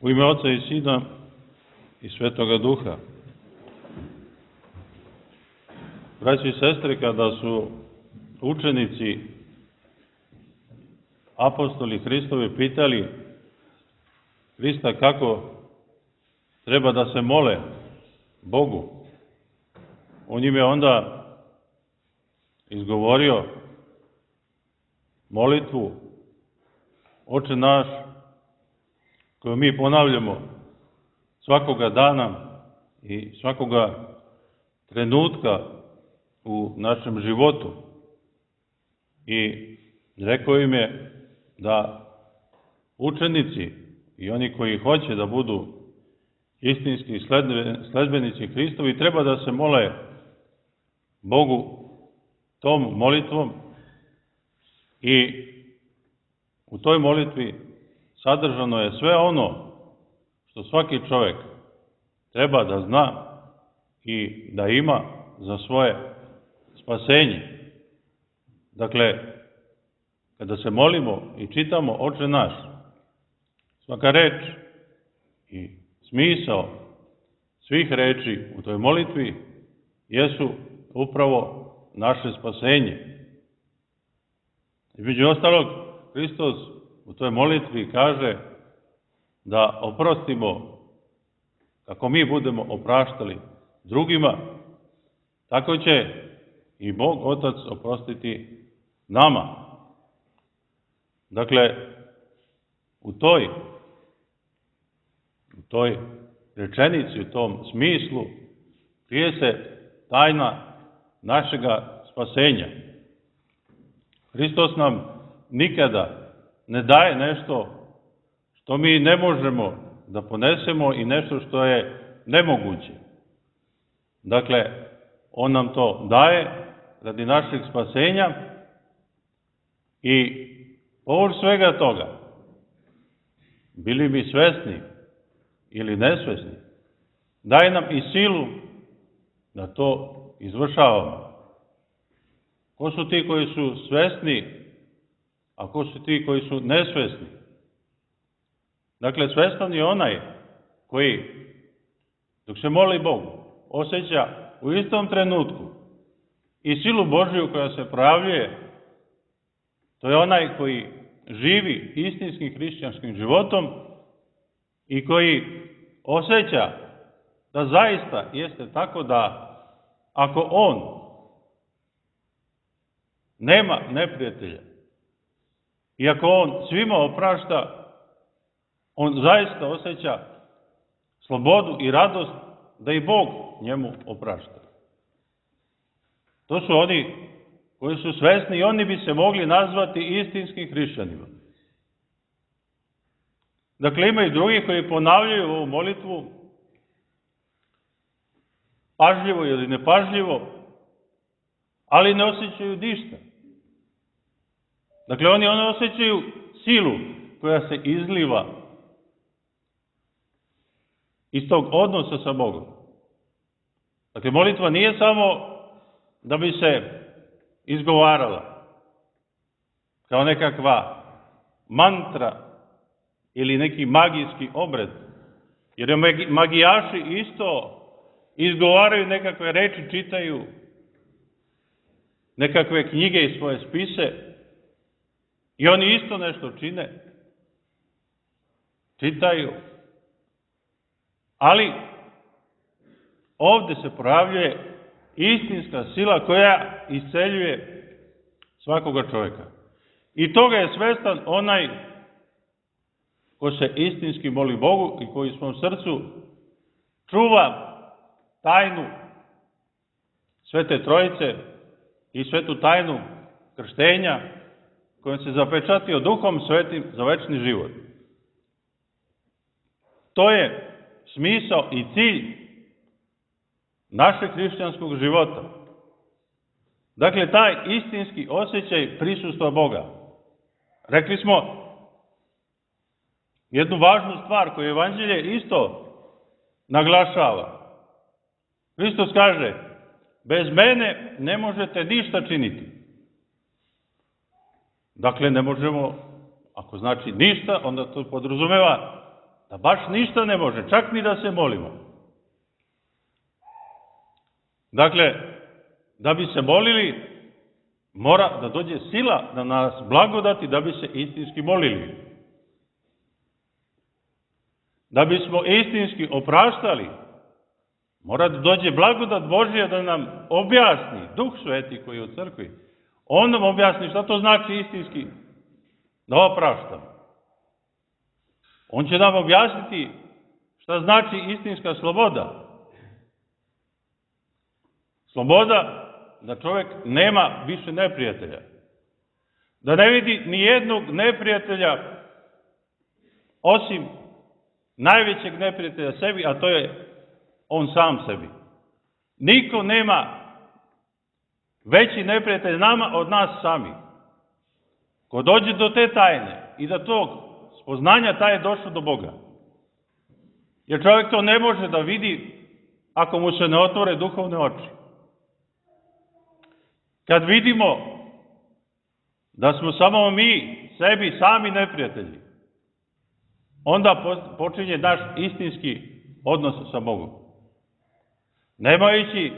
U ime Oca i Sina i Svetoga Duha. Braći i sestre, kada su učenici apostoli Hristovi pitali Hrista kako treba da se mole Bogu, on im je onda izgovorio molitvu Oče naš, koju mi ponavljamo svakoga dana i svakoga trenutka u našem životu. I rekao im je da učenici i oni koji hoće da budu istinski sledbenici Hristovi treba da se mole Bogu tom molitvom i u toj molitvi sadržano je sve ono što svaki čovjek treba da zna i da ima za svoje spasenje. Dakle, kada se molimo i čitamo Oče naš, svaka reč i smisao svih reči u toj molitvi jesu upravo naše spasenje. Između ostalog, Hristos u toj molitvi kaže da oprostimo kako mi budemo opraštali drugima, tako će i Bog Otac oprostiti nama. Dakle, u toj rečenici, u tom smislu, krije se tajna našega spasenja. Hristos nam nikada ne daje nešto što mi ne možemo da ponesemo i nešto što je nemoguće. Dakle, on nam to daje radi našeg spasenja i povrh svega toga, bili mi svesni ili nesvesni, daje nam i silu da to izvršavamo. Ko su ti koji su svesni, a ko su ti koji su nesvesni? Dakle, svestan je onaj koji, dok se moli Bogu, osjeća u istom trenutku i silu Božiju koja se projavljuje. To je onaj koji živi istinskim hrišćanskim životom i koji osjeća da zaista jeste tako da ako on nema neprijatelja i ako on svima oprašta, on zaista osjeća slobodu i radost da i Bog njemu oprašta. To su oni koji su svesni i oni bi se mogli nazvati istinskim hrišćanima. Dakle, ima i drugi koji ponavljaju ovu molitvu pažljivo ili nepažljivo, ali ne osjećaju ništa. Dakle, oni osjećaju silu koja se izliva iz tog odnosa sa Bogom. Dakle, molitva nije samo da bi se izgovarala kao nekakva mantra ili neki magijski obred, jer magijaši isto izgovaraju nekakve reči, čitaju nekakve knjige i svoje spise i oni isto nešto čine, čitaju, ali ovde se projavljuje istinska sila koja isceljuje svakoga čovjeka. I toga je svestan onaj ko se istinski moli Bogu i koji u svom srcu čuva tajnu Svete Trojice i svetu tajnu krštenja kojom se zapečatio Duhom Svetim za večni život. To je smisao i cilj našeg hrišćanskog života. Dakle, taj istinski osjećaj prisustva Boga. Rekli smo jednu važnu stvar koju Evanđelje isto naglašava. Hristos kaže, bez mene ne možete ništa činiti. Dakle, ne možemo, ako znači ništa, onda to podrazumeva da baš ništa ne može, čak ni da se molimo. Dakle, da bi se molili, mora da dođe sila da nas blagodati da bi se istinski molili. Da bismo istinski opraštali, mora da dođe blagodat Božija da nam objasni, Duh Sveti koji je u crkvi, on nam objasni šta to znači istinski da opraštamo. On će nam objasniti šta znači istinska sloboda. Sloboda da čovjek nema više neprijatelja. Da ne vidi ni jednog neprijatelja osim najvećeg neprijatelja sebi, a to je on sam sebi. Niko nema veći neprijatelj nama od nas sami. Ko dođe do te tajne i do tog spoznanja, taj je došao do Boga. Jer čovjek to ne može da vidi ako mu se ne otvore duhovne oči. Kad vidimo da smo samo mi sebi sami neprijatelji, onda počinje naš istinski odnos sa Bogom. Nemajući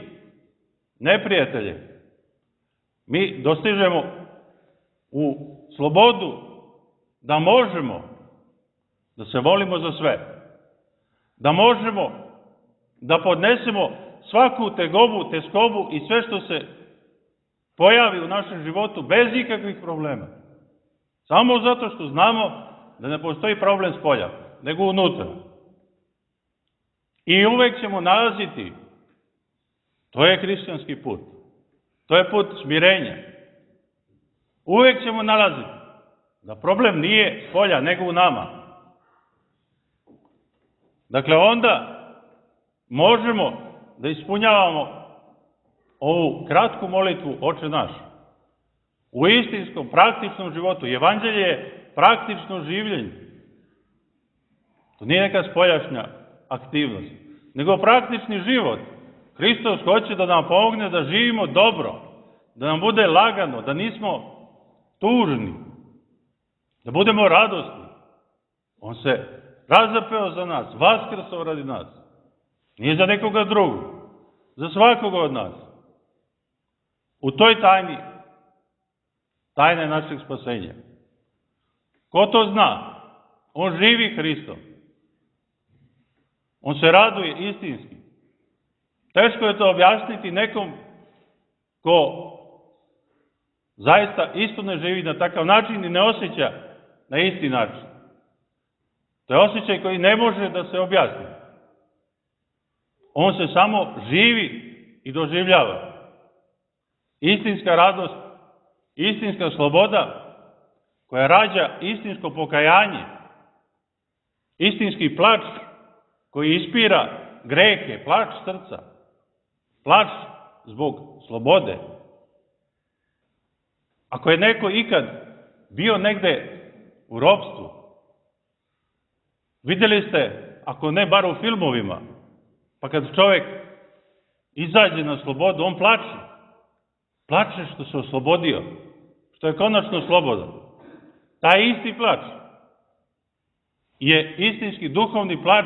neprijatelje, mi dostižemo u slobodu da možemo da se volimo za sve. Da možemo da podnesemo svaku tegobu, teskobu i sve što se pojavi u našem životu bez ikakvih problema. Samo zato što znamo da ne postoji problem spolja, nego unutra. I uvek ćemo nalaziti, to je hrišćanski put, to je put smirenja. Uvek ćemo nalaziti da problem nije spolja, nego u nama. Dakle, onda možemo da ispunjavamo ovu kratku molitvu Oče naš. U istinskom, praktičnom životu. Evanđelje je praktično življenje. To nije neka spoljašnja aktivnost, nego praktični život. Hristos hoće da nam pomogne da živimo dobro, da nam bude lagano, da nismo tužni, da budemo radosni. On se razapeo za nas, vaskrsao radi nas. Nije za nekoga drugog, za svakoga od nas. U toj tajni, tajna je našeg spasenja. Ko to zna? On živi Hristom. On se raduje istinski. Teško je to objasniti nekom ko zaista isto ne živi na takav način i ne osjeća na isti način. To je osjećaj koji ne može da se objasni. On se samo živi i doživljava. Istinska radost, istinska sloboda koja rađa istinsko pokajanje, istinski plač koji ispira grehe, plač srca, plač zbog slobode. Ako je neko ikad bio negde u ropstvu, vidjeli ste, ako ne bar u filmovima, pa kad čovjek izađe na slobodu, on plače. Plače što se oslobodio, što je konačno slobodan. Taj isti plač je istinski duhovni plač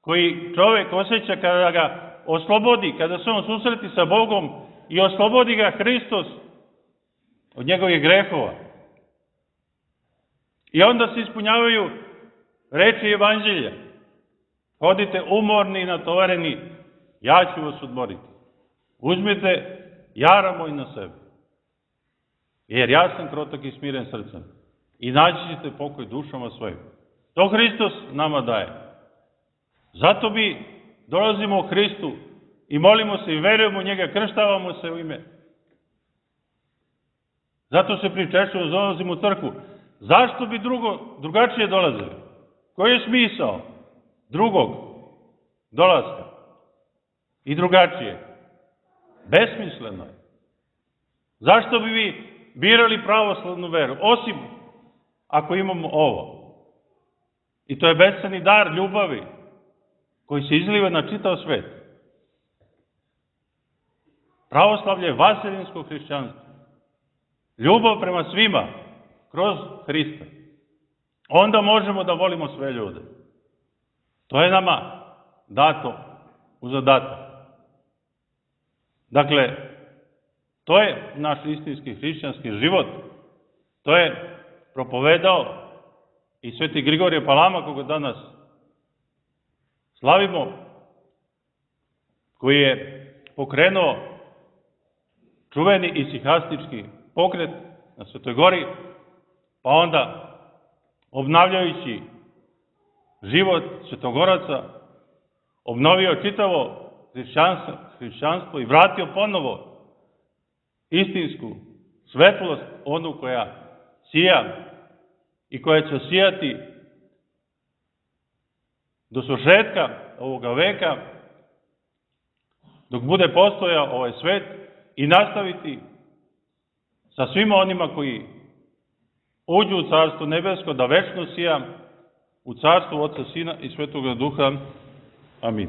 koji čovjek osjeća kada ga oslobodi, kada se on susreti sa Bogom i oslobodi ga Hristos od njegovih grehova. I onda se ispunjavaju reči Evanđelja. Hodite umorni i natovareni, ja ću vas odmoriti. Uzmite jara moj na sebe. Jer ja sam krotak i smiren srcem. I naći ćete pokoj dušama svojim. To Hristos nama daje. Zato mi dolazimo u Hristu i molimo se i verujemo u njega, krštavamo se u ime. Zato se pričešćujemo, dolazimo u crkvu. Zašto bi drugačije dolazili? Koji je smisao drugog dolaska i drugačije? Besmisleno je. Zašto bi vi birali pravoslavnu veru? Osim ako imamo ovo. I to je besceni dar ljubavi koji se izliva na čitav svet. Pravoslavlje je vaseljinsko hrišćanstvo. Ljubav prema svima kroz Hrista. Onda možemo da volimo sve ljude. To je nama dato u zadatak. Dakle, to je naš istinski hrišćanski život. To je propovedao i sveti Grigorije Palama, koga danas slavimo, koji je pokrenuo čuveni isihastički pokret na Svetoj Gori, pa onda obnavljajući život svetogoraca, obnovio čitavo hrišćanstvo i vratio ponovo istinsku svetlost, onu koja sija i koja će sijati do svršetka ovoga veka, dok bude postojao ovaj svet, i nastaviti sa svima onima koji uđu u Carstvo nebesko, da večno sija u Carstvu Oca, Sina i Svetoga Duha. Amin.